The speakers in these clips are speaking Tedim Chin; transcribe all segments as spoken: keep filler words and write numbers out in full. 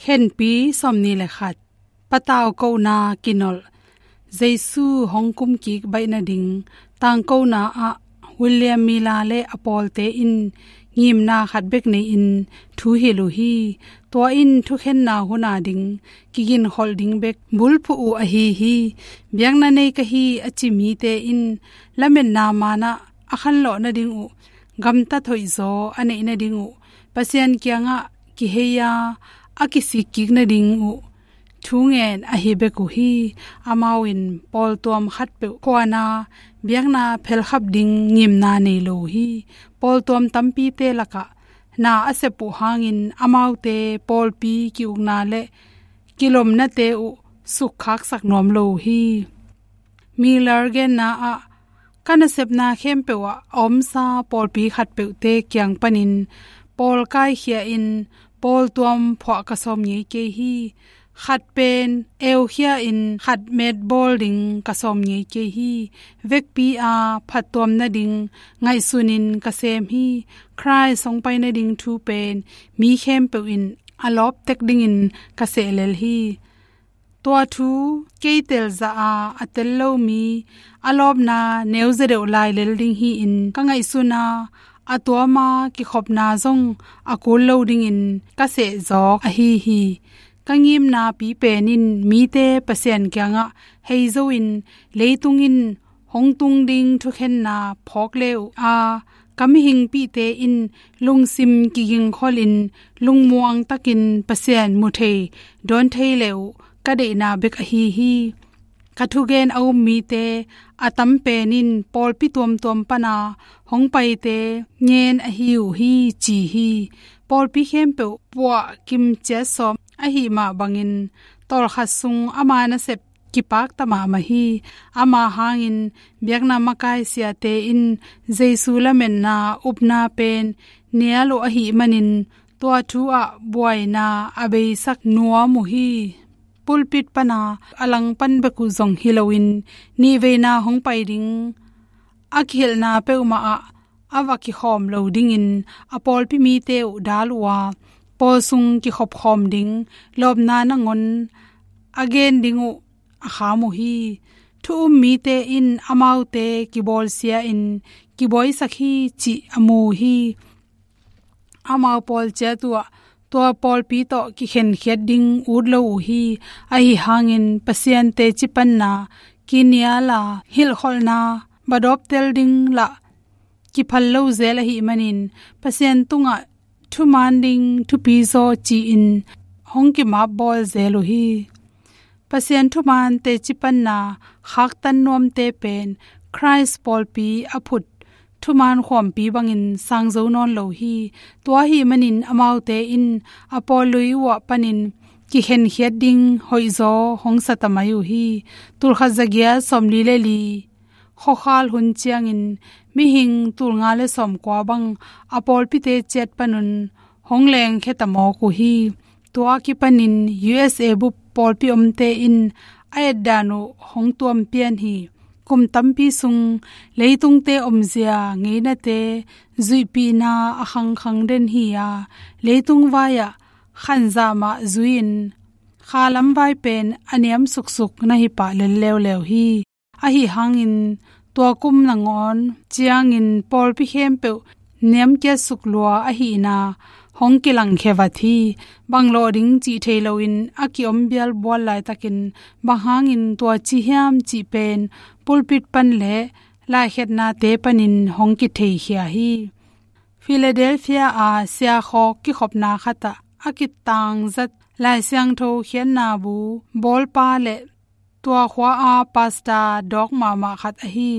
Khenpi sawmnih le khat. Patau kohna kinolh. Jesu hong kumkik baih nading. Tangkona ah William Miller le a pawlte in ngimna khat bek nei-in thu hilh uh hi. Tua in thukhenna hun a ding kiginkholh ding bek bulphuh uh ahi hi. Biakna nei ka hi a ci mite in lametna man ah a khanlawh nading uh, gamtat hoihzaw a neih nading uh, Pasian kiangah kihei a, a kisikkik nading uh thu ngen ahi bek uh hi. Amau in pawltuam khatpeuh khuana biakna phelkhap ding ngimna nei lo uh hi. Pawltuam tampite lakah na a sep uh hangin amaute pawlpi ki-ukna le kilomnate uh sukkhaksak nuam lo uh hi. Miller genna ah, ka nasepna khempeuh ah a omsa pawlpi khatpeuhte kiang panin pawl kaikhia in pawltuam phuah ka sawm ngei kei hi. Khat pen eukhia in khat metbawl ding ka sawm ngei kei hi. Vekpi a phattuam nading ngaihsunin ka sem hi. Khrist hong pai nading thu pen mi khempeuh in a lawp tek dingin ka sehlel hi. Tua thu kei telzah a, a tel lo mi a lawpna neuze deuh lai lel ding hi-in ka ngaihsun a, a tuama kikhopna zong a kul lo dingin ka sehzawk ahi hi. Ka ngimna pipen in mite Pasian kiangah heizo in leitung in hong tung ding thukhenna phawk le uh a, ka mihingpihte in lungsim kigingkholh in lungmuang takin Pasian mu thei dawn thei le uh ka deihna bek ahi hi. Ka thugen a um mite a tam pen in pawlpi tuamtuam pana hong paite ngen ahi uh hi ci hi. Pawlpi khempeuh puah kimciat sawm ahi mah bangin tawlkhat sung ama nasep kipakta mahmah hi. Ama hangin biakna makai siate in Jesu lametna upna pen nial uh ahih manin tua thu ah buaina a beisak nuam uh hi. Pulpit pana a langpan bek uh zong hi loin nihveina hong pai ding a kihilhna peuhmah ah a va kikhawm lo dingin a pawlpi mite uh dal uh a, pawl sung kikhopkhawm ding lawpna nangawn a gen ding uh a kham uh hi. Thu um mite in amaute kibawlsia in kibuaisak hi cih a mu uh hi. Amau pawl ciat uh ah tua pawlpi tawh kikhenkhiat ding ut lo uh hi. Ahi hangin Pasian teci panna kinial a hilhkholhna badawp tel ding lah kiphal lo zel ahih manin Pasian tungah thuman ding thupi zaw ci-in hong kimapbawl zel uh hi. Pasian thuman teci panna khaktan nuamte pen Khrist pawlpi a phut thuman khuampi bangin sang zo nawn lo hi. Tua ahih manin amaute in a pawl lui uh ah panin kikhenkhiat ding hoihzaw hong sa ta mai uh hi. Tulkhat zagiat sawmli le li khuakhal hun ciangin mihing tulnga le sawmkua bang a pawlpite ciat panun hong lengkhia ta mawk uh hi. Tua kipanin U S A bup pawlpi omte in a etdan uh hong tuampian hi. Kum tampi sung leitungte omzia ngeinate zuihpihna a khangkhang den hi a, leitung vai-ah khanzah mah zui-in khalam vai pen a niam suksuk na hi pah lel leuleu hi. Ahi hangin tua kum nangawn ciangin pawlpi khempeuh niamkiat suklua ahihna hong kilangkhia vat hi. Bang lawh ding cih thei loin a ki-om bialbual laitakin bang hangin tua ci hiam cih pen pulpit pan le laikheknate panin hong kitheikhia hi. Philadelphia a siakhawk kikhopna khatah a kitangzat Lai Siangtho khiatna bu bawlpa le tua khua a pastor dawk mahmah khat ahi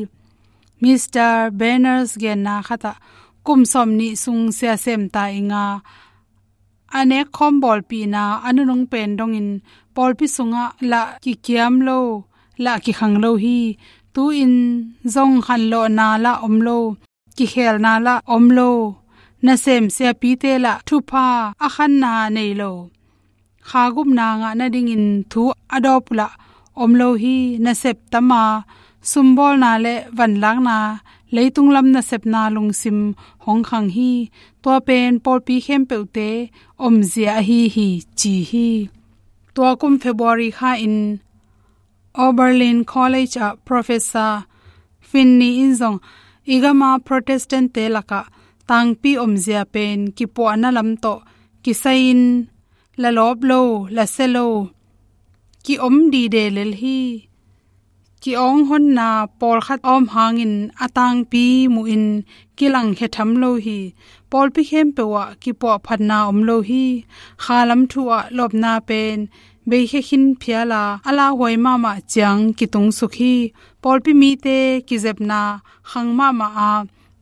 Mister Benners genna khatah kum sawmnih sung siasem ta ing a, a nekkhawm bawlpihna a nunung pen dongin pawlpi sungah lah kikiam lo, lah kikhang lo hi. Tu-in zong khanlawhna lah om lo, kikhelna lah om lo, nasem siapite lah thupha a khanna nei lo, kha gupna ngah nadingin thu a dawp uh lah om lo hi. Nasep tam a, sumbawlna le vanlakna leitung lam nasepna lungsim hong khang hi. Tua pen pawlpi khempeuhte omzia ahi hi ci hi. Tua kum February kha in Oberlin College ah Professor Finney in zong i gama Protestant-te lakah tangpi omzia pen kipuahna lam tawh kisai-in la lawp lo, la sia lo, ki-om dide lel hi. Ki-awng honna pawlkhat a om hangin a tangpi muhin kilangkhia tham lo hi. Pawlpi khempeuh ah kipuahphatna om lo hi. Khalam thu ah lawpna pen beikhia khin phial a, a lauhuai mahmah ciang kitungsuk hi. Pawlpi mite kizepna khang mahmah a,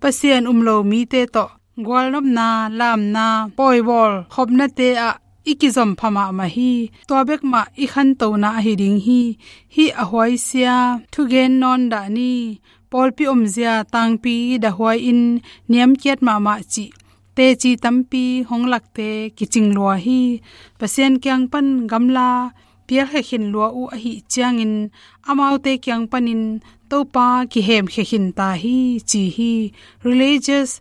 Pasian um lo mite tawh gualnopna, lamna, pawibawl khopnate ah i kizom pha mahmah hi. Tua bek mah i khantona ahi ding hi. Hih a huaisia thugen nawn dah ni. Pawlpi omzia tangpi dahuai-in niamkiat mahmah cih teci tampi hong lakte kicing lua hi. Pasian kiang pan gamla pialkhia khin lua uh ahih ciangin amaute kiang panin Topa kihemkhia khin ta hi ci hi. Religious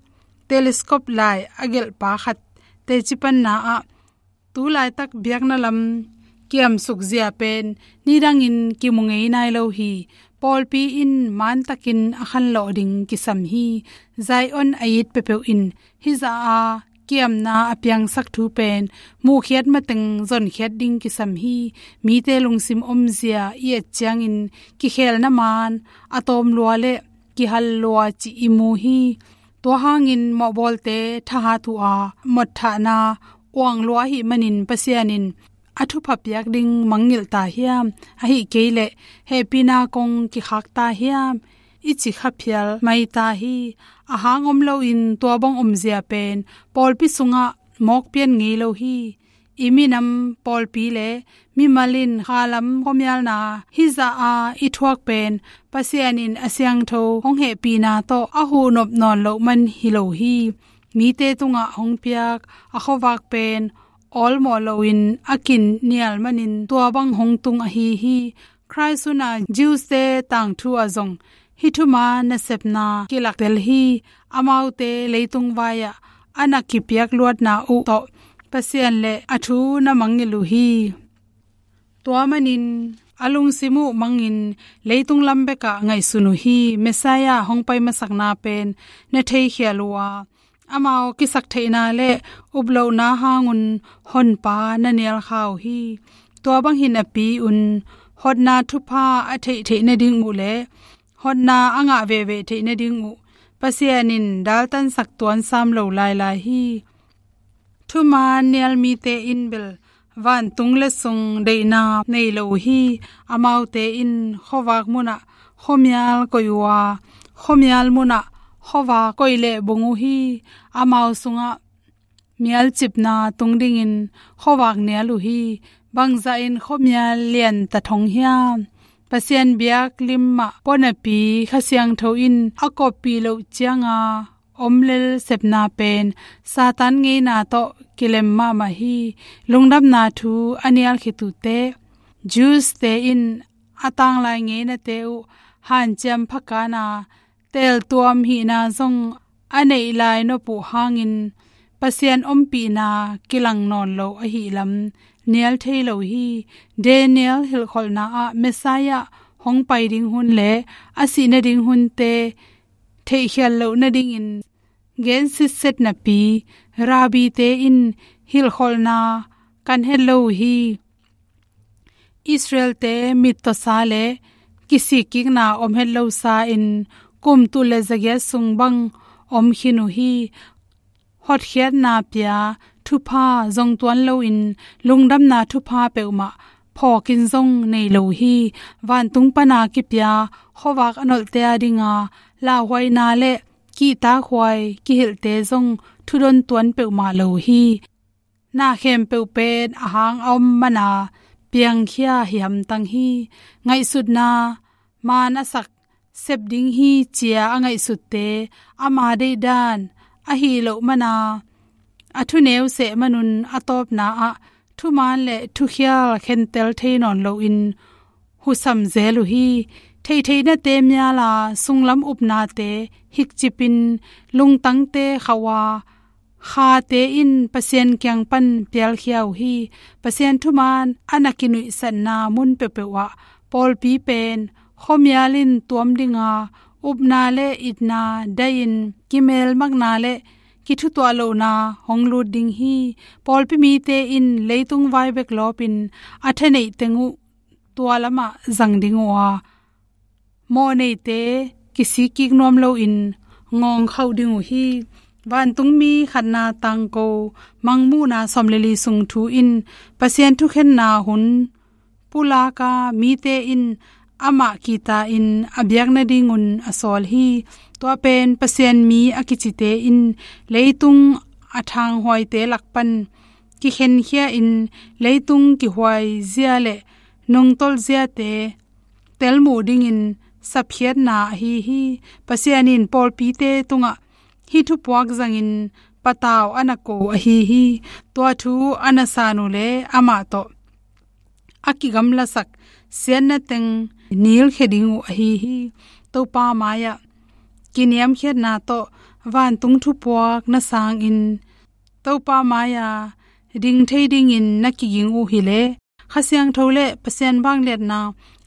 Telescope lai a gelhpa khat teci panna ah tu laitak biakna lam kiamsuk zia pen nidangin kimu ngei nai lo hi. Pawlpi in mantakin a khanlawh ding kisam hi. Zion a it peuhpeuh in hizah a kiamna a piangsak thu pen muhkhiat mateng zonkhiat ding kisam hi. Mite lungsim omzia i et ciangin kikhelna man a tawm lua le kihal lua cih i mu hi. Tua hangin mawhbawlte thahat uh a, mawhthahna uang lua ahih manin Pasian in a thupha piak ding mangngilh ta hiam? Ahih kei leh hehpihna kong kikhak ta hiam? I ci kha phial mai ta hi. A hang om loin tua bang omzia pen pawlpi sungah mawk pian ngei lo hi. I minam pawlpi le mimal in khalam khuamialna hizah a i thuak pen Pasian in a siangtho hong hehpihna tawh a huhnop nawn loh man hi lo hi. Mite tungah hong piak a khuavak pen awlmawh loin a kin nial manin tua bang hong tung ahi hi. Khrist hunah Jews-te tangthu ah zong hih thuman nasepna kilaktel hi. Amaute leitung vai-ah a na kipiak luatna uh tawh Pasian le a thu na mangngilh uh hi. Tua manin a lungsim uh mangin leitung lam bekah ngaihsun uh hi. Messiah hong pai masakna pen na theikhial uh a, amau kisaktheihna le uplohna hangun Honpa na nialkha uh hi. Tua bang hi napi-un hotna thupha a theih theih nading uh le hotna a ngah veve theih nading uh Pasian in daltansak tuansam lo lailai hi. Thuman nial mite in bel vantung le sung deihna nei lo uh hi. Amaute in khuavak munah khuamial koih uh a, khuamial munah khuavak koih leh bung uh hi. Amau sungah mialcipna tung dingin khuavak nial uh hi. Bangzahin khuamial lian ta thong hiam? Pasian biaklim mah pua napi Kha Siangtho in a koppih loh cianga om lel sepna pen Satan ngeina tawh kilem mahmah hi. Lungdamna thu a nial khit uh teh Jews-te in a tanglai ngeinate uh hanciam phakan a, teeltuam hihna zong a neih lai nop uh hangin Pasian ompihna kilang nawn lo ahih lam nial thei lo hi. Daniel hilhkholhna ah Messiah hong pai ding hun le a sih nading hunte theihkhial loh nadingin gen sitset napi rabbi-te in hilhkholhna kan het lo uh hi. Israel-te mittawsa le kisikkikna om het losa in kum tul le zagiat sung bang om khin uh hi. Hotkhiatna pia thupha zong tuan loin lungdamna thupha peuhmah phawkin zong nei lo uh hi. Vantung pana kipia khuavak a nolhte a dinga lauhuaina le kihtakhuai kihilhte zong thudon tuan peuhmah lo uh hi. Na khempeuh pen a hang a om mana piangkhia hi hamtang hi. Ngaihsutna man a sak sep ding hi cia a ngaihsutte ama deihdan ahi loh mana a thuneu seh manun a tawpna ah thuman le thukhial khentel thei nawn loin husam zel uh hi. Theihtheihnate mial a, sunglam upnate hikcipin, lungtangte khauh a, khate in Pasian kiang pan pialkhia uh hi. Pasian thuman a na kinuihsatna mun peuhpeuh ah pawlpi pen khuamial in tuam ding a, upna le itna dai-in, kimel makna le kithutuah lohna hong lut ding hi. Pawlpi mite in leitung vai bek lawpin a thaneih teng uh tua lamah zang ding uh a, mawhneite kisik kik nuam loin ngawng khauh ding uh hi. Vantungmi khatna tangko, Mangmuhna sawm le li sung thu in Pasian thukhenna hun pulak a, mite in amah kihta-in a biak nadingun a sawl hi. Tua pen Pasian mi a kicite in leitung a thanghuaite lak pan kikhenkhia-in, leitung kihuai zia le nungtolh ziate telmuh dingin sapkhiatna ahi hi. Pasian in pawlpite tungah hih thupuak zangin patau a na ko ahi hi. Tua thu a na san uh le amah tawh a kigamlasak siatna teng nilkhia ding uh ahi hi. Topa mai-ah kiniamkhiatna tawh vantung thupuak na sangin, Topa mai-a ding thei dingin na kiging uh hileh, Kha Siangtho le Pasian vangliatna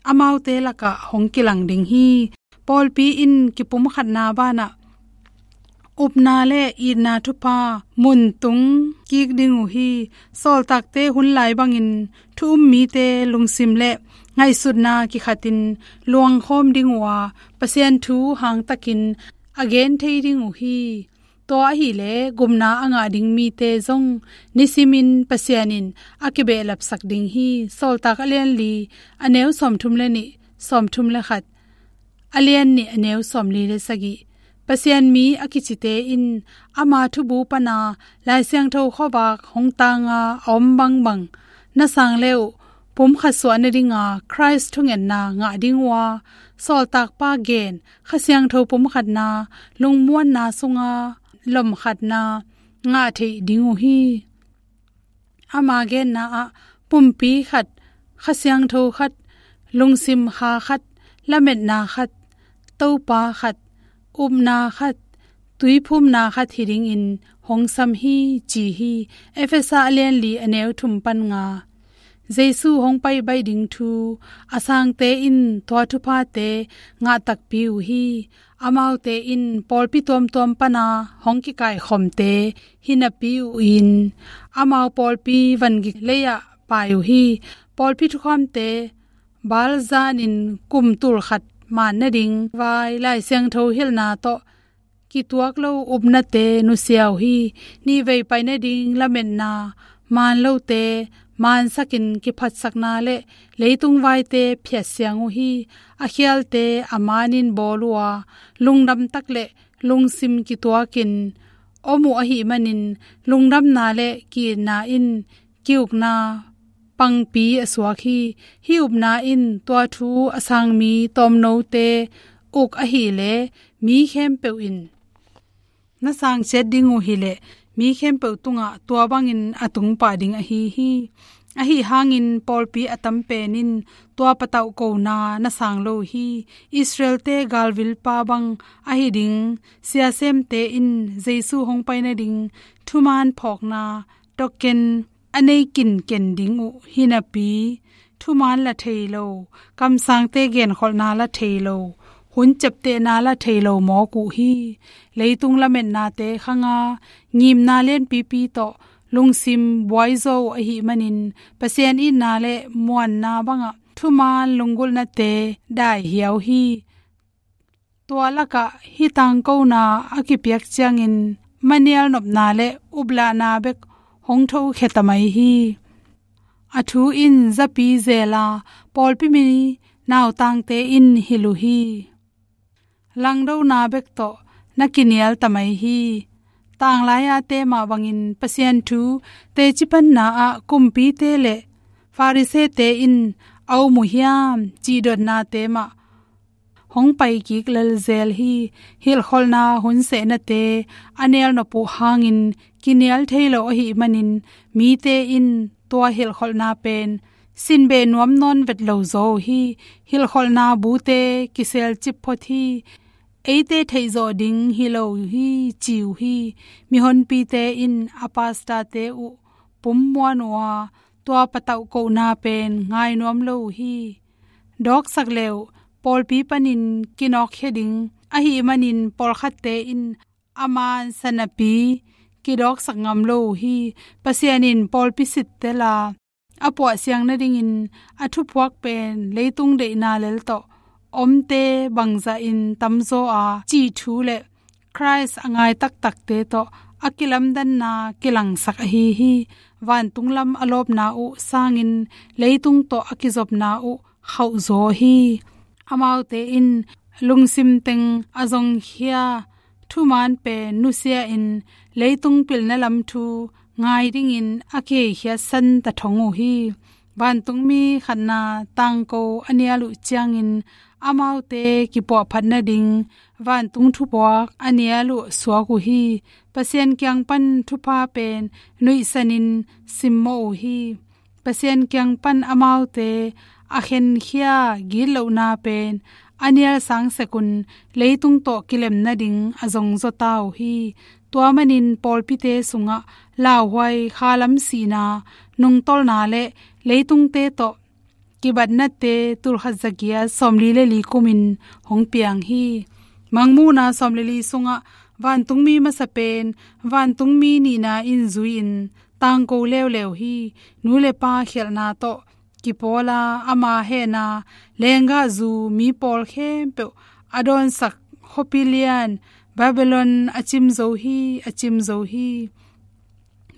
amaute lakah hong kilang ding hi. Pawlpi in kipumkhatna banah upna le itna thupha mun tung kik ding uh hi. Sawltakte hun lai bangin thu um mite lungsim le ngaihsutna kikhatin luangkhawm ding uh a, Pasian thu hangtakin a gen thei ding uh hi. Tua ahileh gupna a ngah ding mite zong nisimin Pasian in a kibehlapsak ding hi. Sawltak a lian li, a neu sawmthum le nih, sawmthum le khat, a lian nih, a neu sawmli le sagih. Pasian mi a kicite in ama thubu pana Lai Siangtho khuavak hong tanga a om bangbang na sang le uh, pumkhat suah nadinga Khrist thungetna ngah ding uh a, sawltakpa gen Kha Siangtho pumkhatna, lungmuanna sunga lomkhatna ngah theih ding uh hi. Ama genna ah pumpi khat, Kha Siangtho khat, lungsim kha khat, lametna khat, Topa khat, upna khat, tuiphumna khat hi dingin hong sam hi, ci hi. Efesa a lian li, a neu thum pan nga. Jesu hong pai baih ding thu a sangte in tua thuphate ngah takpi uh hi. Amaute in pawlpi tuamtuam pana hong kikaikhawmte hi napi uh in, amau pawlpi vangik lei-ah pai uh hi. Pawlpi thukhawmte balzanin kum tulkhat man nading vai Lai Siangtho hilhna tawh kituak lo upnate nusia uh hi. Nihvei pai nading lametna man lote, mansakin kiphatsakna le leitung vaite phiatsiang uh hi. A khialte a manin bawl uh a, lungdam tak le lungsim kituakin om uh ahih manin, lungdamna le ki-itna in ki-ukna pangpi a suak hi. Hih upna in tua thu a sang mi tawmnote uk ahileh, mi khempeuh in na sang ciat ding uh hileh, mi khempeuh tungah tua bangin a tungpah ding ahi hi. Ahi hangin pawlpi a tam pen in tua patauh kona na sang lo uh hi. Israelte galvilpa bang ahi ding siasemte in Jesu hong pai nading thuman phawkna token a nei kinken ding uh hi napi, thuman la thei lo, kamsangte genkholhna la thei lo, hun ciaptehna la thei lo mawk uh hi. Leitung lametnate khanga ngimna lianpipi tawh lungsim buaizaw uh ahih manin, Pasian itna le muanna bangah thuman lunggulhnate daihiau hi. Tua lakah hih tangkona a kipiak ciangin manial nopna le uplahna bek hong thokhia ta mai hi. A thu in zapi zela pawlpi mi nautangte in hilh uh hi. Langdona bek tawh na kinial ta mai hi. Tanglai-ate mah bangin Pasian thu teci panna ah kumpite le Farisee-te in a um uh hiam, cih dotnate mah hong paikik lelzel hi. Hilhkholhna hun sehnate a nialnop uh hangin kinial thei lo ahih manin, mite in tua hilhkholhna pen sinbeh nuam nawn vet lo zaw uh hi. Hilhkholhna bute kiselcip phot hi. Eite theihzawh ding hi lo hi, ci uh hi. Mihonpite in a pastorte uh pummuan uh a, tua patauh kohna pen ngai nuam lo uh hi. Dawksak le uh, pawlpi panin kinawkkhia ding ahih manin pawlkhatte in a man sanapi kidawksak ngam lo uh hi. Pasian in pawlpi sittel a, a puahsiang nadingin a thuphuak pen leitung deihna lel tawh omte bangzahin tamzaw a cih thu le Khrist a ngai taktakte tawh a kilamdanna kilangsak ahi hi. Vantung lam a lawpna uh sangin leitung tawh a kizopna uh khauhzaw hi. Amaute in lungsim teng a zongkhia thuman pen nusia-in leitung pilna lam thu ngai dingin a kiheikhiatsan ta thong uh hi. Vantungmi khatna tangko a nial uh ciangin amaute kipuahphat nading vantung thuphuak a nial uh suak uh hi. Pasian kiang pan thupha pen nuihsanin simmawh uh hi. Pasian kiang pan amaute a khenkhia gitlohna pen a nial sangsekun leitung tawh kilem nading a zongzaw ta uh hi. Tua manin pawlpite sungah lauhuai khalam sihna, nungtolna le leitungte tawh kibatnate tulkhat zagiat sawmli le li kumin hong piang hi. Mangmuhna sawm le li sungah vantungmi masa pen vantungmi nihna in zui-in tangko leuleu hi. Nu le pa khialhna tawh kipawla ama hehna lenggahzu mi pawl khempeuh a dawnsak khuapi lian Babylon a cim zo hi, a cim zo hi.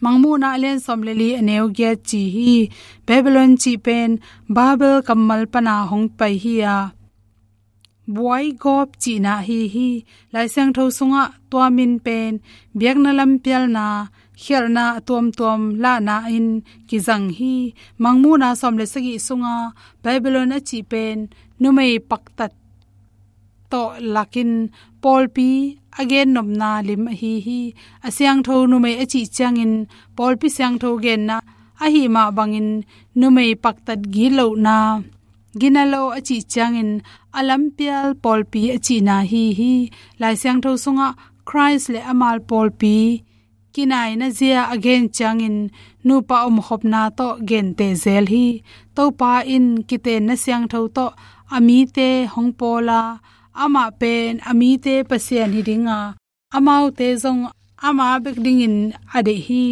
Mangmuhna a lian sawm le li a neu giat ci hi. Babylon cih pen Babel kammal pana hong pai hi a, buai gawp cihna ahi hi. Lai Siangtho sungah tua min pen biakna lampialna, khialhna a tuamtuam lahna in kizang hi. Mangmuhna sawm le sagih sunga Babylon a cih pen numei paktat tawh lakin pawlpi a gennopna lim ahi hi. A siangtho numei a cih ciangin pawlpi siangtho genna ahi mah bangin numei paktat gitlohna, ginalo a cih ciangin a lampial pawlpi a cihna ahi hi. Lai Siangtho sungah Khrist le a mal pawlpi kinaina zia a gen ciangin nupa omkhopna tawh genteh zel hi. Topa in kitenna siangtho tawh a mite hong pawla, amah pen a mite Pasian hi dinga, amaute zong ama bek dingin a deih hi.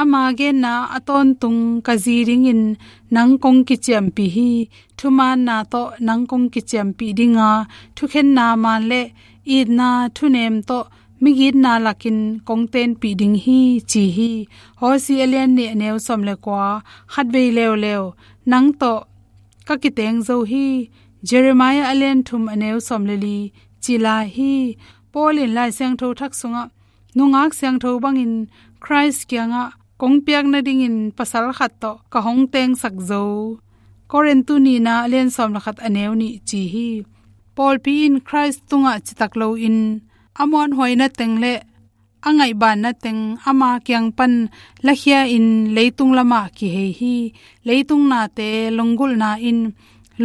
Ama genna a tawntung ka zi dingin nang kong kiciampih hi. Thumaanna tawh nang kong kiciampih dinga, thukhenna maan le itna thunem tawh migitna lakin kong tenpih ding hi, ci hi. Hosea a lian nih a neu sawm le kua, khatvei leuleu nang tawh ka kiteng zo hi. Jeremiah a lian thum a neu sawm le li ci lai hi. Paul in Lai Siangtho Thak sungah nungak siangtho bangin Khrist kiangah kong piak nadingin pasal khat tawh ka hong tengsak zo. Korintu nihna a lian sawm le khat a neu nih ci hi. Pawlpi in Khrist tungah citak loin a muanhuaina teng le a ngaihbanna teng ama kiang pan lakhia-in leitung lamah kihei hi. Leitung nate lunggulhna in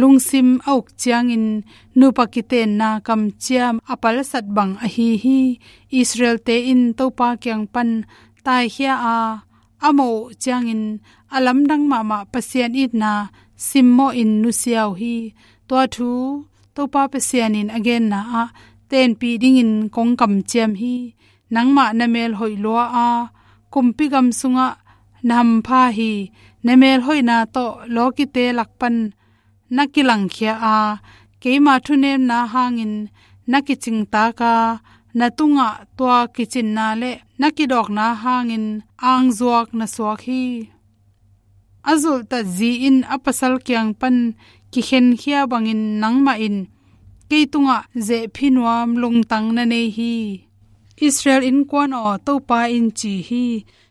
lungsim a uk ciangin nupa kitenna kamciam a palsat bang ahi hi. Israelte in Topa kiang pan taikhia a, a mawh uh ciangin a lamdang mahmah Pasian itna simmawhin nusia uh hi. Tua thu Topa Pasian in a genna ah tenpih dingin kong kamciam hi. Nangmah na mel hoih lua a, kumpi gam sungah na hampha hi. Na mel hoihna tawh lawkite lak pan na kilangkhia a, keima thunemna hangin na kicingtak a, na tungah tua kicinna le na kidawkna hangin angzuak na suak hi. A zulhtat zi in a pasal kiang pan kikhenkhia bangin nangmah in kei tungah zehphi nuam lungtang na nei hi. Israel innkuan aw, Topa in ci hi.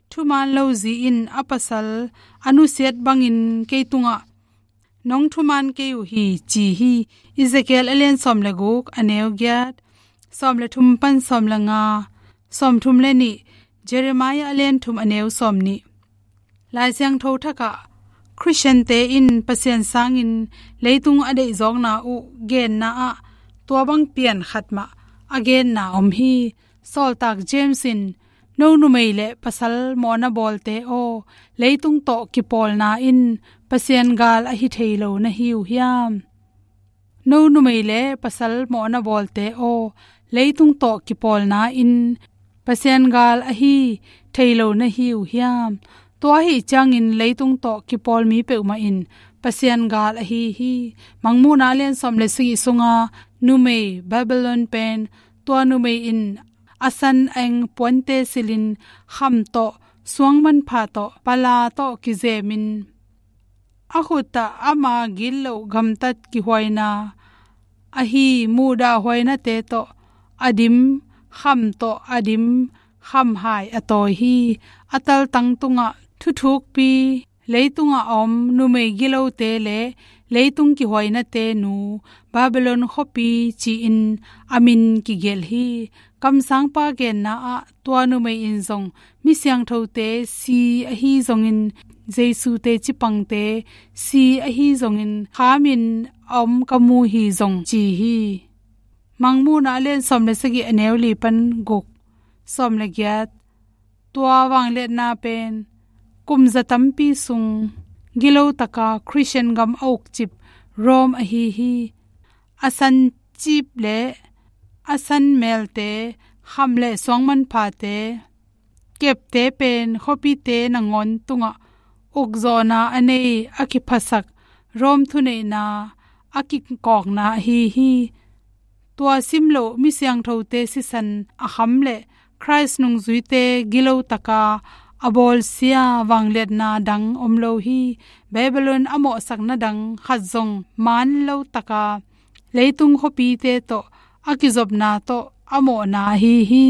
Thumaan lo zi in a pasal a nusiat bangin kei tungah nong thumaan kei uh hi, ci hi. Ezekiel a lian sawm le guk a neu giat, sawm le thum pan sawm le nga, sawm thum le nih, Jeremiah a lian thum a neu sawm nih. Lai Siangtho Thak ah Khristiante in Pasian sangin leitung a deihzawkna uh genna ah tua bang pian khat mah a genna om hi. Sawltak James in, "No numei le pasal mawhna bawlte aw, leitung tawh kipawlna in Pasian gal ahi thei lo na hi uh hiam? No numei le pasal mawhna bawlte aw, leitung tawh kipawlna in Pasian gal ahi thei lo na hi uh hiam?" Tua ahi ciangin leitung tawh kipawl mi peuhmah in Pasian gal ahi hi. Mangmuhna a lian sawm le sagih sunga numei Babylon pen, tua numei in a san a eng puante silhin, kham tawh, suang manpha tawh, pala tawh kizemin, a khut ah ama gitloh gamtat kihuaina ahi muhdahhuainate tawh a dim, kham tawh a dim, khamhai a tawi hi. A taltang tungah thuthukpi, leitungah a om numei gilote le leitung kihuainate nu, Babylon khuapi ci-in a min kigelh hi. Kamsangpa genna ah tua numei in zong mi siangthote si ahi zongin, Jesu teci pangte si ahi zongin, khamin a om ka mu hi zong ci hi. Mangmuhna a lian sawm le sagih, a neu li pan guk, sawm le giat. Tua vangliatna pen kum za tampi sung gilo taka Khristian gam a ukcip Rome ahi hi. A san cip le a san melte, kham le suang manphate, kepte pen khuapite nangawn tungah ukzawhna a nei, a kiphasak Rome thuneihna a kikawkna ahi hi. Tua simloh mi siangthote sisan a kham le Khrist nungzuite gilo taka a bawlsia vangliatna dang om lo hi. Babylon a mawhsakna dang khat zong man lo taka leitung khuapite tawh a kizopna tawh a mawhna ahi hi.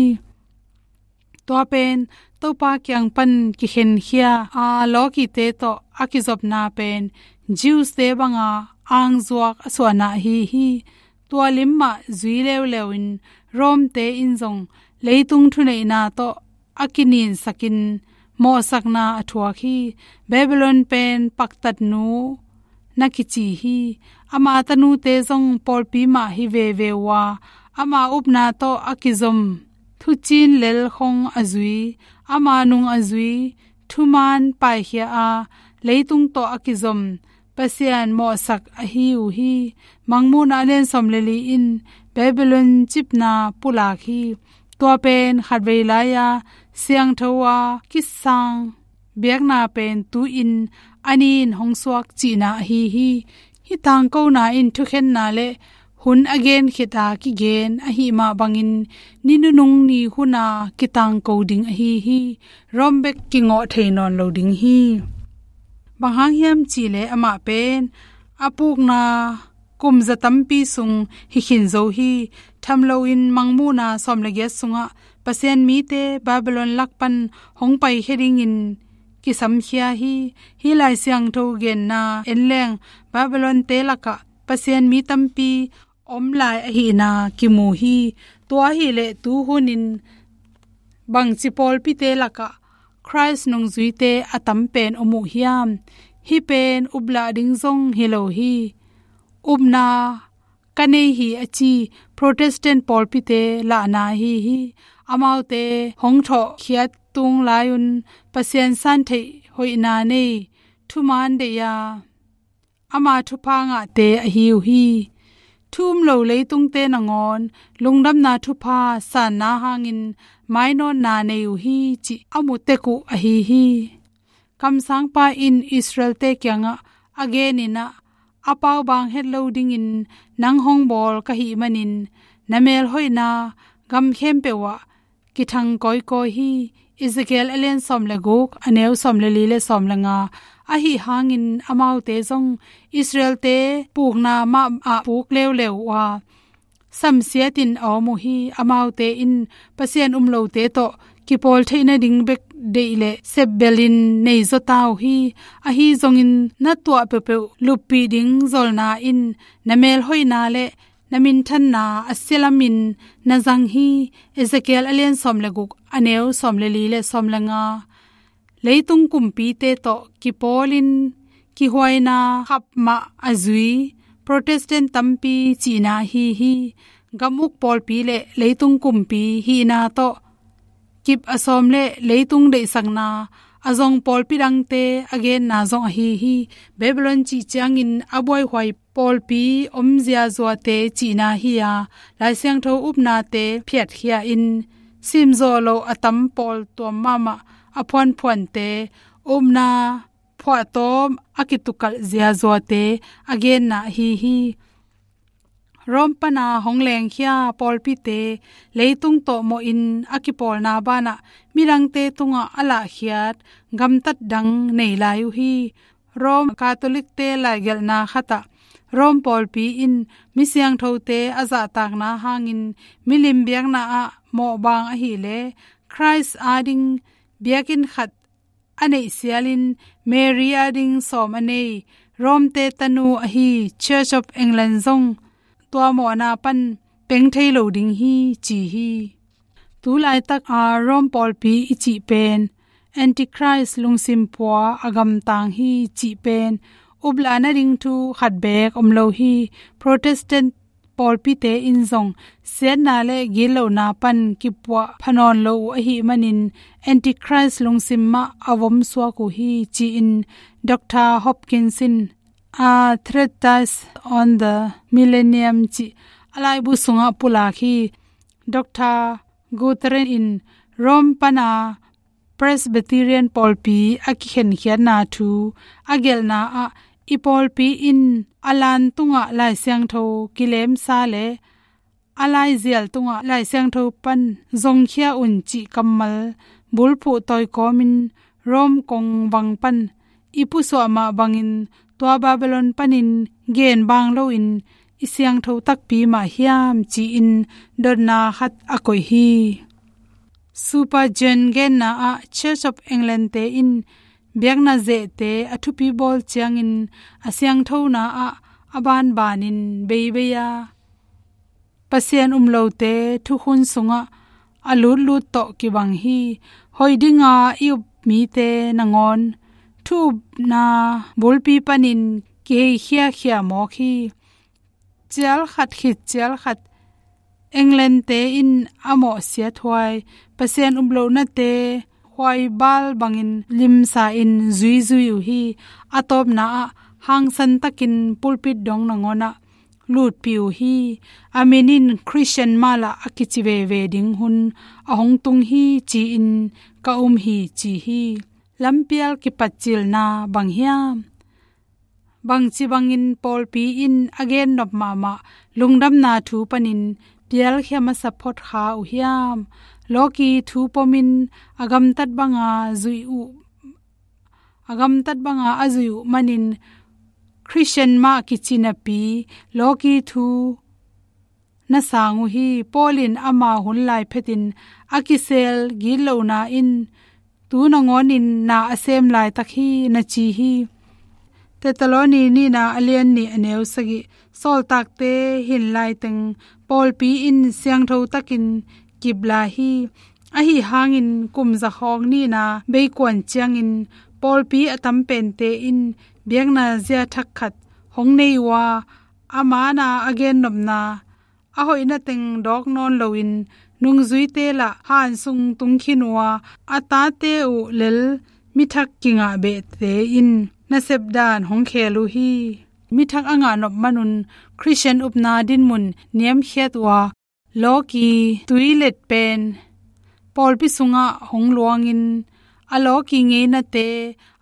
Tua pen Topa kiang pan kikhenkhia a lawkite tawh a kizopna pen Jews-te banga angzuak a suahna ahi hi. Tua lim mah zui leuleu in Rome-te in zong leitung thuneihna tawh a kininsakin mawhsakna a thuak hi. Babylon pen paktatnu na kici hi. Ama tanute zong pawlpi mah hi veve uh a, ama upna tawh a kizom thuciin lel khong a zui, ama nung a zui, thuman paikhia a, leitung tawh a kizom Pasian mawhsak ahi uh hi. Mangmuhna a lian sawm le li in Babylon cipna pulak hi. Tua pen khatvei lai-a siangtho a kisang biakna pen tu-in a ni-in hong suak cihna ahi hi. Hih tangkona in thukhenna le hun a gen khit a kigen ahih mah bangin ni nunung ni huna kitangko ding ahi hi. Rome bek kingawh thei nawn lo ding hi. Bang hang hiam cihleh amah pen a pukna kum za tampi sung hi khin zo hi. Tham loin Mangmuhna sawm le giat sungah Pasian mite Babylon lak pan hong paikhia dingin kisamkhia hi. Hih Lai Siangtho genna en leng Babylon-te lakah Pasian mi tampi om lai ahihna kimu hi. Tua ahihleh tu hunin bangci pawlpite lakah Khrist nungzuite a tam pen om uh hiam? Hih pen uplah ding zong hi lo hi. Upna ka nei hi a ci Protestant pawlpite lahna ahi hi. Amaute hong thawhkhiat tung lai-un Pasian santheih hoihna nei, thuman deih a, ama thupha ngahte ahi uh hi. Thu um lo leitungte nangawn lungdamna thupha sanna hangin mainawtna nei uh hi cih a mu tek uh ahi hi. Kamsangpa in Israel-te kiangah a genin ah, a paubaang het lo dingin nang hong bawl ka hih manin na melhoihna gam khempeuh ah kithang kawikawi hi. Ezekiel a lian sawm le guk, a neu sawm le li le sawm le nga. Ahi hangin amaute zong Israel-te pukna mah ah puk leuleu uh a, samsiatin a om uh hi. Amaute in Pasian um lote tawh kipawl theih nading bek deih le sepbelin nei zaw ta uh hi. Ahi zongin na tuah peuhpeuh luppih ding zolna in na melhoihna le na minthanna a sialamin na zang hi. Ezekiel a lian sawm le guk, a neu sawm le li le sawm le nga. Leitung kumpite tawh kipawlin kihuaina khap mah a zui Protestant tampi cihna ahi hi. Gam uk pawlpi le leitung kumpi hihna tawh kip a sawm le leitung deihsakna a zong pawlpi dangte a genna zong ahi hi. Babylon cih ciangin a buaihuai pawlpi om ziazuate cihna hi a, Lai Siangtho upnate phiatkhia in simzawh lo a tam pawl tuam mahmah a phuanphuante upna phuahtawm a kitukalh ziazuate a genna ahi hi. Rome pana hong lengkhia pawlpite leitung tawh mawhin a kipawlna banah midangte tungah a lahkhiat gamtat dang nei lai uh hi. Rome Catholicte laigelhna khatah Rome pawlpi in mi siangthote a zahtakna hangin milim biakna ah mawhbang ahileh Christ ading biakinn khat a neihsialin Mary ading sawm a nei Rome-te tanu ahi Church of England zong tua mawhna pan peng thei lo ding hi ci hi. Tu laitak a Rome pawlpi i cih pen Antichrist lungsim pua a gamtang hi cih pen upla nading thu khat beek om lo hi. Protestant pawlpite in zong siatna le gitlohna pan kipuah phanawn lo uh ahih manin Antichrist lungsim mah a vom suak uh hi ci-in Dr Hopkins in A Treatise on the Millennium cih a laibu sungah pulak hi. Dr Guthrie in Rome pana Presbyterian pawlpi a kikhenkhiatna thu a gelhna ah i pawlpi in a lan tungah Lai Siangtho kilemsa le a laizial tungah Lai Siangtho pan zongkhia un cih kammal bulphuh tawikawmin Rome kongvang pan i pusuah mah bangin tua Babylon panin gen bang loin i siangtho takpi mah hiam ci-in dotna khat a koih hi. Super John genna ah Church of England-te in biakna zehte a thupi bawl ciangin a siangthona ah a banbanin beibei a Pasian um lote thukhun sungah a lutlut tawh kibang hi. Hoih dinga i up mite nangawn thu upna bulpi panin kiheikhiakhia mawk hi. Cial khat khit cial khat England-te in a mawhsiat huai Pasian um lohnate huaibal bangin limsa in zuizui uh hi. A tawpna ah hangsan takin pulpit dong nangawn ah lutpih uh hi. A min in Christian mah lah a kici veve ding hun a hong tung hi ci-in ka um hi ci hi. Lampial kipatcilna bang hiam? Bangci bangin pawlpi in a gennop mahmah lungdamna thu panin pialkhia masa phot kha uh hiam? Lawki thu pomin a gamtat banga zuih uh a gamtat banga a zuih uh manin Christian mah kici napi lawki thu na sang uh hi. Paul in ama hun lai phetin a kisel gitlohna in tu nangawnin na a sem laitak hi na ci hi. Tetaloni nihna a lian nih a neu sagih. Sawltakte hin laiteng pawlpi in siangtho takin kip lai hi. Ahi hangin kum zakhawng nihna beikuan ciangin pawlpi a tam pente in biakna zia thak khat hong nei uh a, a mana a gennopna a hoihna teng dawk nawn loin nungzuite lah han sung tung khin uh a, a tate uh lel mithak kingah behte in nasep dan hong khel uh hi. Mithak a ngah nop manun Christian upna dinmun niamkhiat uh a, lawki tuilet pen pawlpi sungah hong luangin a lawki ngeinate,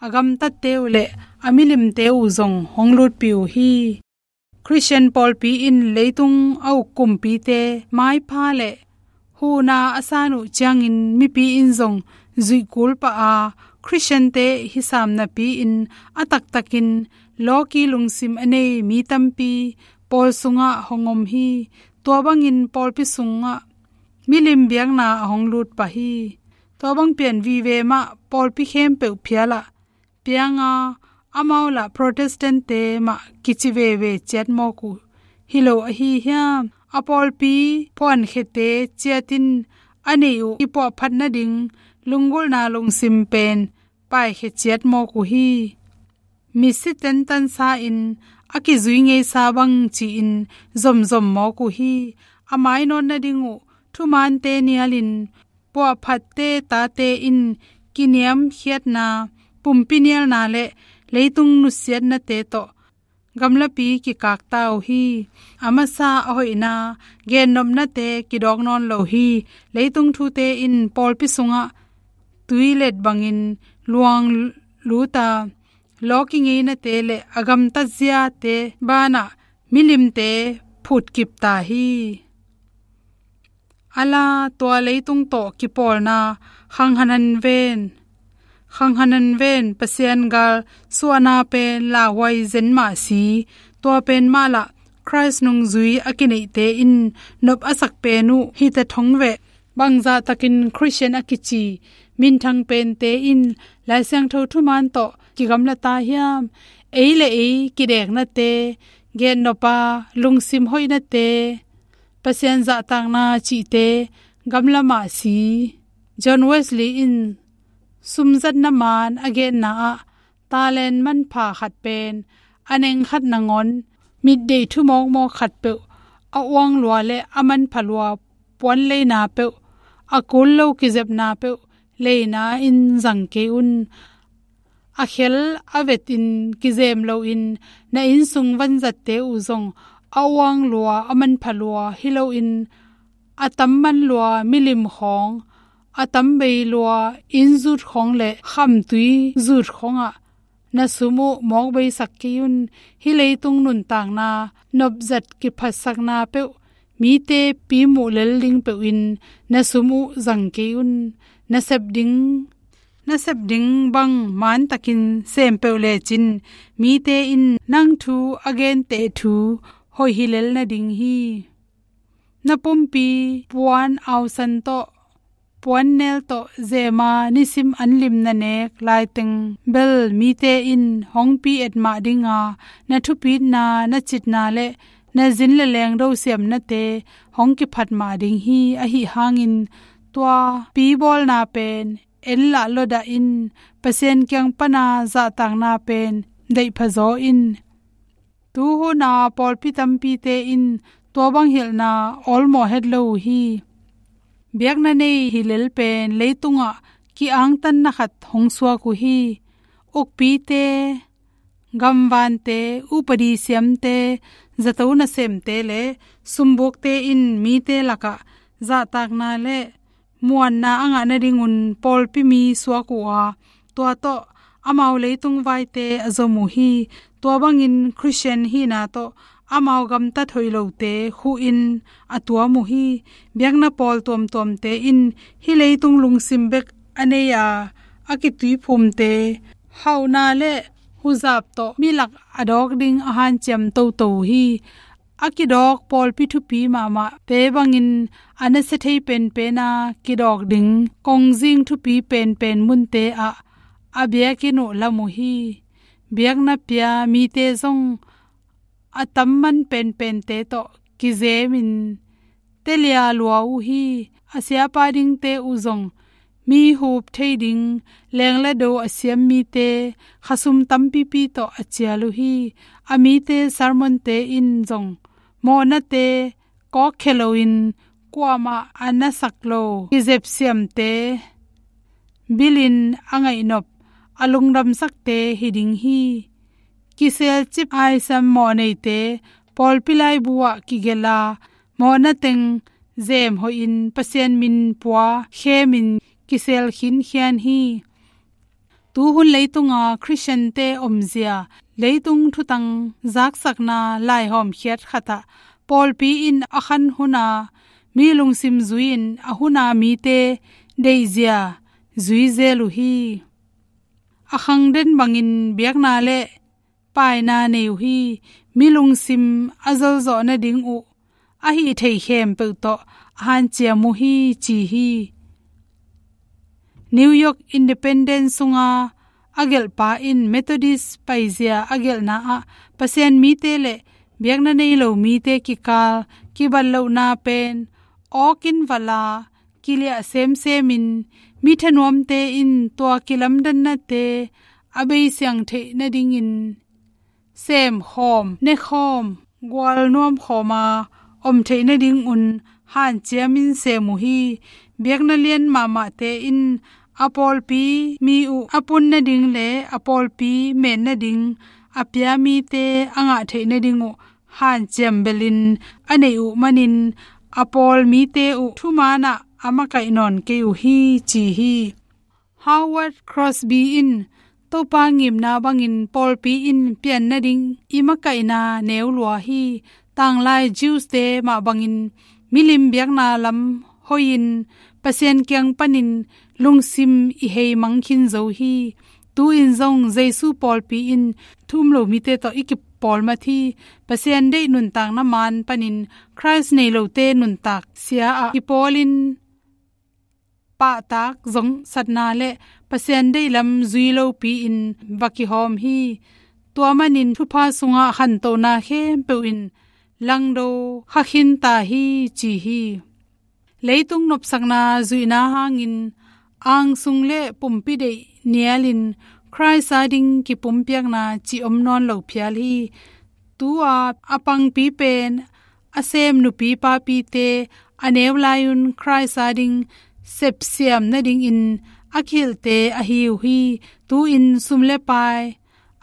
a gamtatte uh le a milimte uh zong hong lutpih uh hi. Christian pawlpi in leitung a uk kumpite maipha le huhna a san uh ciangin mipi in zong zuih kul pah a, Christian-te hisam napi-in a taktakin lawki lungsim a nei mi tampi pawl sungah hong om hi. Tua bangin pawlpi sungah milim biakna a hong lut pah hi. Tua bang pian vive mah pawlpi khempeuh phial ah pianga amau lah Protestant-te mah kici veve ciat mawk uh hi lo ahi hiam? A pawlpi phuankhiate ciatin a neih uh i puahphat nading lunggulhna lungsim pen paikhia ciat mawk uh hi. misi tentansa in a kizui ngeisa bang ci-in zomzom mawk uh hi. A mainawt nading uh thumaante nialin puahphatte tate in kiniamkhiatna, pumpi nialna le leitung nusiatnate tawh gamlapi kikakta uh hi. A masa a hoihna, gennopnate kidawk nawn lo hi. Leitung thute in pawlpi sungah tuilet bangin luang luta, lawki ngeinate le a gamtat ziate banah milimte phutkip ta hi. Ala tua leitung tawh kipawlna khanghanan ven, khanghanan ven Pasian gal suahna pen lauhuai zen mah si. Tua pen mah lah Christ nungzui a kineihte in nop a sak pen uh hita thong veh. Bangzah takin Christian a kici minthang pente in Lai Siangtho thuman tawh kigamla ta hiam? Ei le ei kideknate, gennopa lungsim hoihnate, Pasian zahtakna cihte gamla mah si. John Wesley in sumzatna man a genna ah talent manpha khat pen a neng khat nangawn mitdeih thu mawkmawk khat peuh, a uang lua le a manpha lua puan leina peuh, a kul lo kizepna peuh leina in zang kei un. A khel a vetin kizem loin na innsung vanzatte uh zong a uang lua a manpha lua hi loin a tamman lua milim khawng, a tambei lua inn zut khawng le khamtui zut khawngah na sum uh mawkbeisak kei un. Hih leitung nuntakna nopzat kiphatsakna peuh, mite pi muh lel ding peuhin na sum uh zang kei un. Na sep ding, na sep ding bang mantakin sem peuh lecin mite in nang thu a genteh thu hoih hi lel nading hi. Na pumpi puan ausan tawh, puan nel tawh zema nisim anlim na nek laiteng bel mite in hong pi et mah dinga, na thupitna, na citna le na zin le lengdo siamnate hong kiphat mah ding hi. Ahi hangin tua pi bawlna pen en lah lawdah in Pasian kiang pana zahtakna pen deihpha zaw in. Tuhuna pawlpi tampite in tua bang hilhna awlmawh het lo uh hi. Biakna nei hi lel pen leitungah ki-angtanna khat hong suak uh hi. Ukpite, gamvante, upadi siamte, zato nasemte le sumbukte in mite lakah zahtakna le muanna a ngah nadingun pawlpi mi suak uh a, tua tawh amau leitung vaite a zom uh hi. Tua bangin Christian hihna tawh amau gamtat hoih lote khuhin a tuam uh hi. Biakna pawl tuamtuamte in hih leitung lungsim bek a nei a, a kituiphumte hauhna le huzap tawh milak a dawk ding a hanciam toto uh hi. A kidawk pawlpi thupi mahmahte bangin a nasia thei penpena kidawk ding kongzing thupi penpen munte ah a biakinn uh lam uh hi. Biakna pia mite zong a tamman penpente tawh kizemin telia lua uh hi. A siapa dingte uh zong mi hup thei ding leng le do a siam mite khasum tampipi tawh a cial uh hi. A mite sermonte in zong mawhnate kawkkhia loin kuamah a nasak lo kizep siamte bilin a ngaihnop a lungdamsakte hi ding hi. Kiselcip aisam mawhneite pawlpi laibu ah kigelh a, mawhna teng zem hoihin Pasian min pua khemin kisel khinkhian hi. Tuhun leitunga Christiante omzia, leitung thutang zaksakna laihawmkhiat khatah pawlpi in a khan huna mi lungsim zui-in a huna mite deihzia zui zel uh hi. A khangden bangin biakna le paina nei uh hi. Mi lungsim a zolzawh nading uh a hih thei khempeuh tawh a hanciam uh hi, ci hi. New York Independent sunga a gelhpa in Methodist paizia a gelhna ah Pasian mite le biakna nei lo mite kikal kibat lohna pen awkin vala kiliah semsemin mi thanuamte in tua kilamdannate a beisiang theih nadingin semkhawm, nekhawm, gualnuamkhawma om theih nadingun hanciamin sem uh hi. Biakna lian mahmahte in a pawlpi mi uh a pun nading le a pawlpi men nading a pia mite a ngah theih nading uh hanciam belin a neih uh manin a pawl mite uh thumanah a makaih nawn kei uh hi, ci hi. Howard Crosby in Topa ngimna bangin pawlpi in pian nading i makaihna neu lua hi. Tanglai Jews-te mah bangin milim biakna lam hoihin Pasian kiang panin lungsim i heimang khin zo hi. Tu-in zong Jesu pawlpi in thu um lo mite tawh i kipawlmat hi. Pasian deih nuntakna maan panin Christ nei lote nuntak sia-ah kipawlin pahtak zongsatna le Pasian deihlam zui lopi-in va kihawm hi. Tua manin thupha sungah khantohna khempeuh in langdo kha khin ta hi, ci hi. Leitung nopsakna zuihna hangin angsung le pumpi deih nialin Christ ading kipumpiakna cih om nawn lo phial hi. Tu-a a pangpi pen a sem nupi papite a neu lai-un Christ ading sepsiam nadingin a kihilhte ahi uh hi. Tu-in sum le pai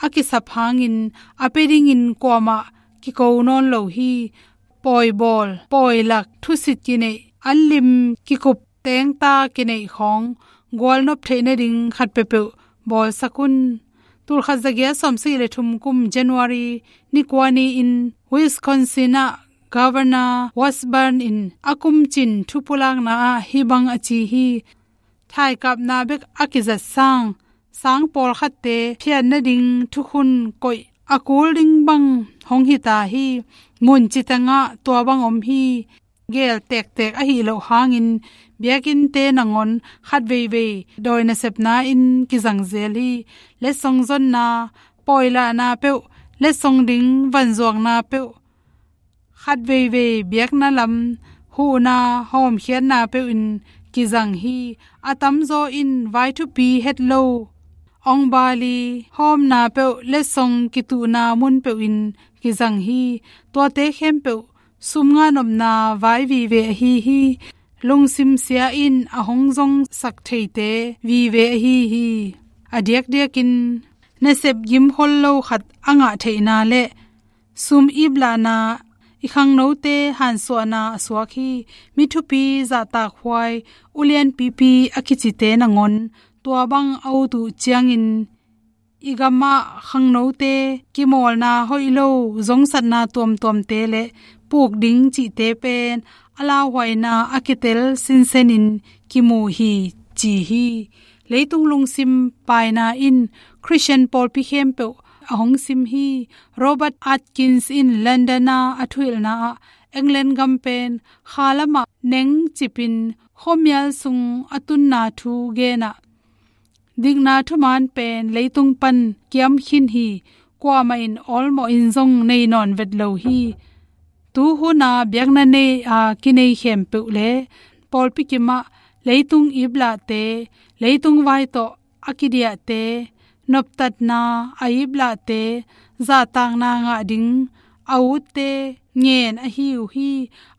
a kisap hangin a pia dingin kuamah kiko nawn lo hi. Pawibawl, pawilak, thusit kineih, anlim kikup, tengta kineih khawng gualnop theih nading khat peuhpeuh bawlsak un. Tulkhat zagiat sawmsagih le thum kum January ni kua ni-in Wisconsin ah Governor Washburn in a kumcin thupulakna ah hih bang a ci hi. Thaikapna bek a kizat sang, sang pawlkhatte phiat nading thukhun koih a kul ding bang hong hi ta hi. Mun citengah tua bang om hi. Geel tektek ahi loh hangin biakinnte nangawn khat veivei dawi nasepna in kizang zel hi. Letsong zonna, pawilahna peuh, letsong ding vanzuakna peuh, khat veivei biakna lam huhna hawmkhiatna peuh in kizang hi. A tamzaw in vai thupi het lo, ongbali hawmna peuh, letsong kituhna mun peuh in kizang hi. Tuate khempeuh sum ngah nopna vai vive ahi hi. Lungsim sia in a hong zongsak theite vive ahi hi. A diakdiakin nasep gimkhol lo khat a ngah theihna le sum iplahna, i khangnote hansuahna a suak hi. Mi thupi, zahtakhuai, ulianpipi a kicite nangawn tua bang a ut uh ciangin i gamah khangnote kimawlna hoih lo, zongsatna tuamtuamte le puk ding cihte pen a lauhuaina a kitel sinsenin kimu hi, ci hi. Leitung lungsim paina in Christian pawlpi khempeuh a hong sim hi. Robert Atkins in London ah a thuhilhna ah England gam pen khalamah nengcipin khuamial sung a tunna thu genah dikna thuman pen leitung pan kiam khin hi. Kuamah in awlmawh in zong nei nawn vet lo hi. Tu huna biakna nei a kinei khempeuh le pawlpi kimah leitung iplahte, leitung vai tawh a kidiahte, noptatna a iplahte, zahtakna ngah ding a utte ngen ahi uh hi.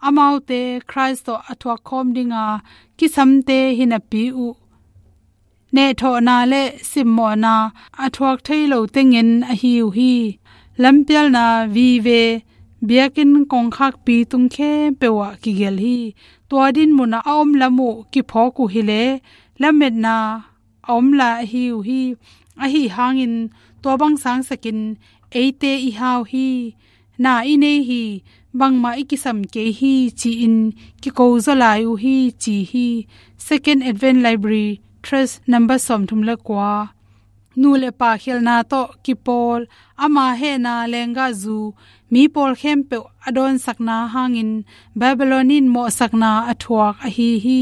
Amaute Christ tawh a thuakkhawm dinga kisamte hi napi uh nehthawhna le simmawhna a thuak thei lote ngen ahi uh hi. Lampialna vive biakinn kongkhakpi tung khempeuh ah kigelh hi. Tua din munah a om lam uh kiphawk uh hileh lametna a om lai ahi uh hi. Ahi hangin tua bang sangsakin eite i hau hi. Na i nei hi, bangmah i kisam kei hi, ci-in kiko zaw lai uh hi, ci hi. Second Advent Library, Tract number sawmthum le kua. Nu le pa khialhna tawh kipawl, ama hehna lenggahzu, mi pawl khempeuh a dawnsakna hangin Babylon in mawhsakna a thuak ahi hi.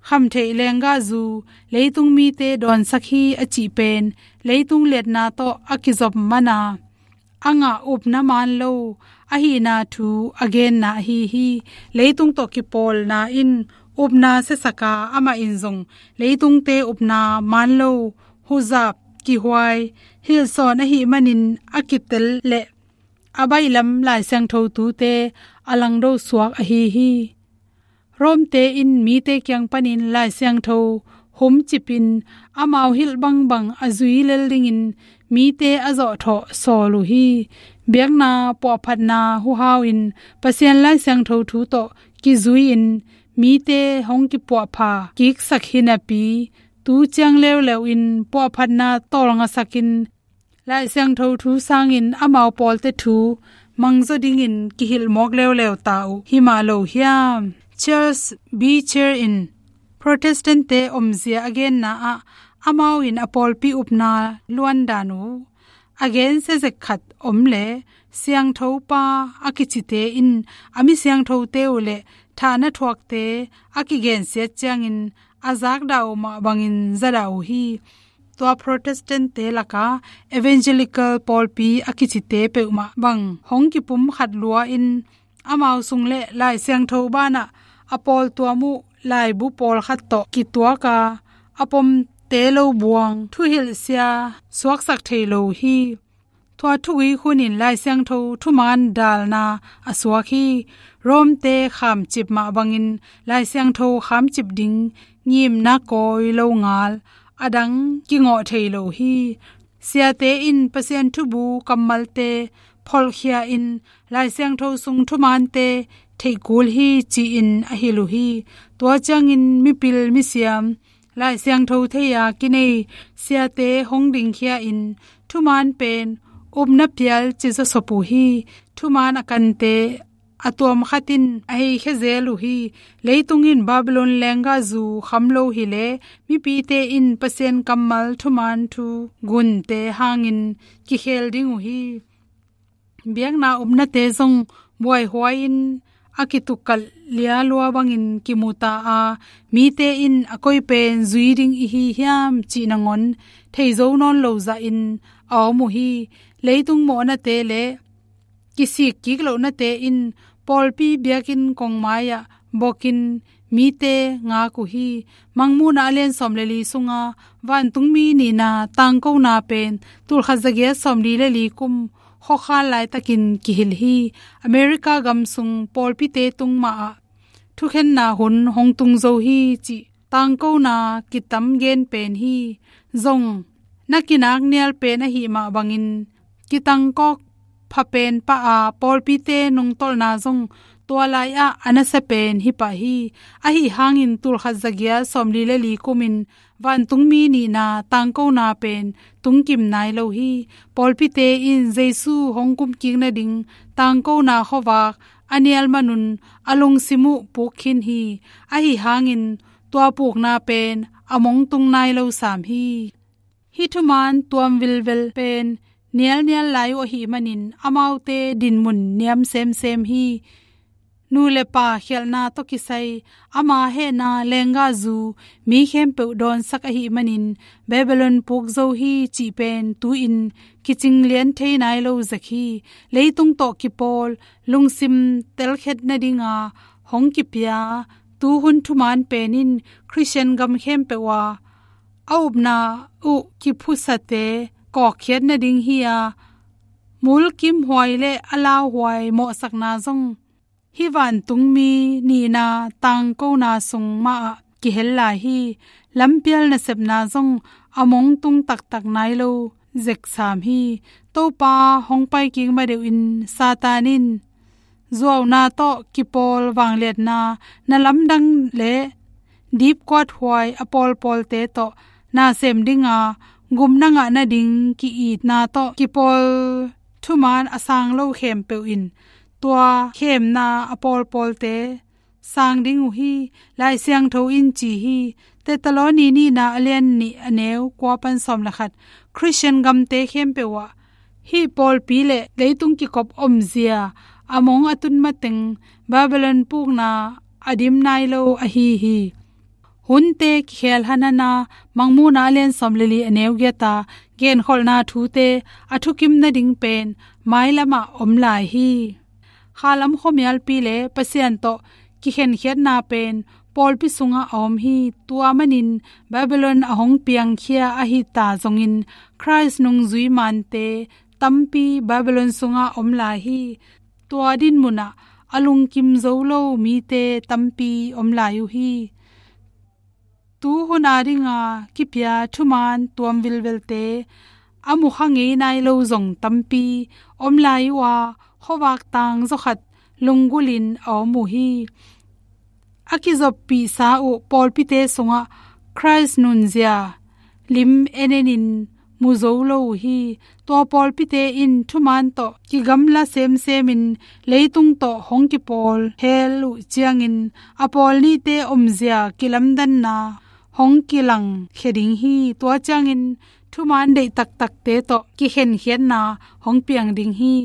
Khamtheih lenggahzu, leitung mite dawnsak hi a cih pen, leitung liatna tawh a kizop mana a ngah upna maan lo ahihna thu a genna ahi hi. Leitung tawh kipawlna in upna siasaka, amah in zong leitungte upna maan lo huzap kihuai hilhsawn ahih manin a kitel leh a baihlam Lai Siangtho thute a langdo suak ahi hi. Rom-te in mite kiang panin Lai Siangtho humcipin amau hilh bangbang a zui lel dingin mite a zawhthawh sawl uh hi. Biakna puahphatna huhau in Pasian Lai Siangtho thu tawh kizui-in mite hong kipuahpha kiksak hi napi, tu ciang leuleu in puahphatna tawlngasakin Lai Siangtho thu sangin amau pawlte thu mangzaw dingin kihilh mawk leuleu ta uh hi mah lo hiam? Charles Beecher in Protestant-te omzia a genna ah amau in a pawlpi upna luandan uh a gensia zek khat om leh, siangthopa a kicite in a mi siangthote uh leh thahna thuakte a kigensiat ciangin a zakdah uh mah bangin zadah uh hi. Tua Protestant-te laka Evangelical pawlpi a kicite peuhmah bang hong kipum khat lua-in amau sung leh Lai Siangtho banah a pawltuam uh laibu pawlkhat tawh kituaka a pomte lo buang thuhilhsia suaksak thei lo hi. Tua thugui hunin Lai Siangtho thuman dalna a suak hi. Rom-te khamcip mah bangin Lai Siangtho khamcip ding ngimna kawi lo ngal a dang kingawh thei lo hi. Siate in Pasian thubu kammalte pholhkhia-in Lai Siangtho sung thumante theihkul hi ci-in a hilh uh hi. Tua ciangin mipil misiam Lai Siangtho thei-a kinei siate hong dingkhia-in thuman pen upna pial ci zawsop uh hi. Thuman a kante a tuam khat in a heikhia zel uh hi. Leitung in Babylon lenggahzu kham lo hileh mipite in Pasian kammal thuman thu gunte hangin kikhel ding uh hi. Biakna upnate zong buaihuai-in a kitukkal lialua bangin kimu ta a, mite in a koi pen zui ding i hi hiam cih nangawn theizo nawn lo zahin a om uh hi. Leitung mawhnate leh kisik kik lohnate in pawlpi biakinn kongmai-ah bokin mite ngak uh hi. Mangmuhna a lian sawm le li sunga vantungmi nihna tangkona pen tulkhat zagiat sawmli le li kum khuakhal laitakin kihilh hi. America gam sung pawlpite tung mahah thukhenna hun hong tung zo hi cih tangkona kitam gen pen hi. Zong na kinak nial pen ahih mah bangin kitangkawk pha pen pah a, pawlpite nungtolhna zong tua lai-ah a nasia pen hi pah hi. Ahi hangin tulkhat zagiat sawmli le li kumin vantungmi nihna tangkona pen tungkim nai lo hi. Pawlpite in Jesu hong kumkik nading tangkona khuavak a nial manun a lungsim uh puk khin hi. Ahi hangin tua pukna pen a mong tung nai lo sam hi. Hih thuman tuam vilvel pen nialnial lai uh ahih manin amaute dinmun niam semsem hi. Nu le pa khialhna tawh kisai ama hehna lenggahzu mi khempeuh dawnsak ahih manin Babylon puk zo hi cih pen tu-in kicing lian thei nai lo zek hi. Leitung tawh kipawl lungsim telkhiat nadinga hong kipia tuhun thuman pen in Khristian gam khempeuh a a upna uh kiphusate kawkkhiat nading hi a, mulkimhuai le a lauhuai mawhsakna zong hih vantungmi nihna tangkona sung mahah kihel lai hi. Lampial nasepna zong a mong tung taktak nai lo zek sam hi. Topa hong paikik madeuhin Satan in zuauna tawh kipawl vangliatna na lamdang le dipkuat huai a pawlpawlte tawh na sem dinga gupna ngah nading ki-itna tawh kipawl thuman a sang lo khempeuh in tua khemna a pawlpawlte sang ding uh hi. Lai Siangtho in ci hi. Thessaloni nihna a lian nih a neu kua pan sawm le khat. Khristian gamte khempeuh ah hih pawlpi le leitung kikop omzia a mong a tun mateng Babylon pukna a dim nai lo ahi hi. Hunte kikhel hanhana Mangmuhna a lian sawm le li a neu giata genkholhna thute a thukim nading pen mailamah om lai hi. Khalam khuamialpi le Pasian tawh kikhenkhiatna pen pawlpi sungah a om hi. Tua manin Babylon a hong piangkhia ahi ta zongin Khrist nungzui mante tampi Babylon sungah om lai hi. Tua dinmunah a lungkim zo lo mite tampi om lai uh hi. Tu hun a dinga kipia thuman tuam vilvelte a mukha ngei nai lo zong tampi om lai uh a, khuavak tang zawkhat lunggulhin a om uh hi. A kizoppihsa uh pawlpite sungah Khrist nunzia lim enenin mu zo lo uh hi. Tua pawlpite in thuman tawh kigamla semsemin leitung tawh hong kipawl hel uh ciangin a pawl nite omzia kilamdanna hong kilangkhia ding hi. Tua ciangin thuman deih taktakte tawh kikhenkhiatna hong piang ding hi.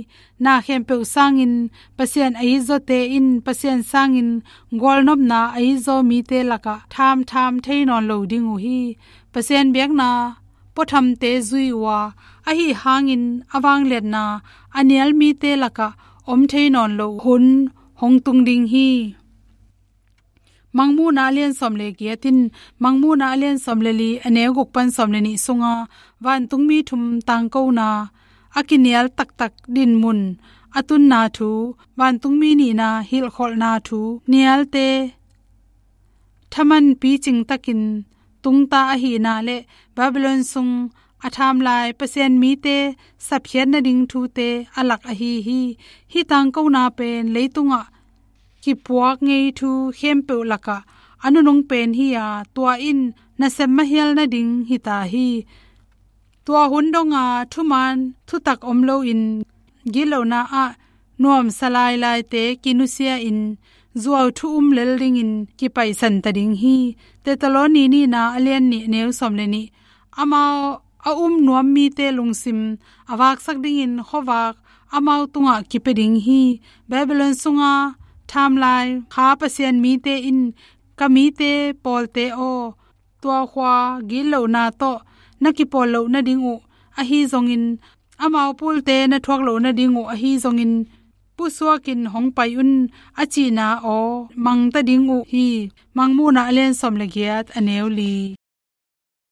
Na khempeuh sangin Pasian a itzawte in Pasian sangin gualnopna a itzaw mite lakah thamtham thei nawn lo ding uh hi. Pasian biakna puathamte zui uh a, ahi hangin a vangliatna a nial mite lakah om thei nawn lo hun hong tung ding hi. Mangmuhna a lian sawm le giat in Mangmuhna a lian sawm le li a neu guk pan sawm le nih sunga vantungmi thum tangkona a kinial taktak dinmun a tunna thu, vantungmi nihna hilhkholhna thu, nialte thaman picing takin tungta ahihna le Babylon sung a thamlai Pasian mite sapkhiat nading thute a lak ahi hi. Hih tangkona pen leitungah kipuak ngei thu khempeuh lakah a nunung pen hi a, tua in nasem mahial nading hita hi. Tua hun donga thuman thutak om loin gitlohna ah nuamsa lailaite kinusia in zuau thu um lel dingin kipaisan ta ding hi. Thessaloni nihna a lian nih neu sawm le nih. Amau a um nuam mite lungsim a vaksak dingin khuavak amau tungah kipia ding hi. Babylon sunga thamlai kha Pasian mite in, ka mite pawlte aw, tua khua gitlohna tawh na kipawl loh nading uh ahi zongin, amau pulte na thuak loh nading uh ahi zongin, pusuakin hong pai un a cihna aw mangta ding uh hi. Mangmuhna a lian sawm le giat a neu li.